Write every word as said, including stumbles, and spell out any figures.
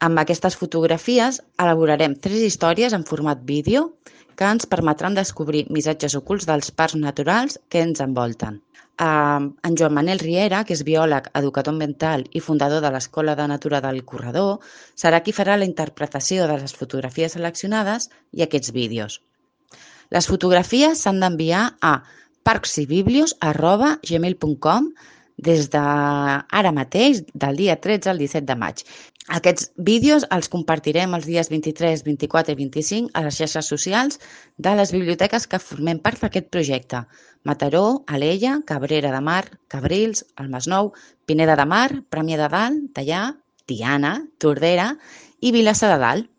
Amb aquestes fotografies elaborarem tres històries en format vídeo que ens permetran descobrir missatges ocults dels parcs naturals que ens envolten. En Joan Manel Riera, que és biòleg, educador ambiental i fundador de l'Escola de Natura del Corredor, serà qui farà la interpretació de les fotografies seleccionades i aquests vídeos. Les fotografies s'han d'enviar a parcsibiblios arroba gmail punt com des d'ara mateix, del dia tretze al disset de maig. Aquests vídeos els compartirem els dies vint-i-tres, vint-i-quatre i vint-i-cinc a les xarxes socials de les biblioteques que formem part d'aquest projecte: Mataró, Alella, Cabrera de Mar, Cabrils, el Masnou, Pineda de Mar, Premià de Dalt, Teià, Tiana, Tordera i Vilassar de Dalt.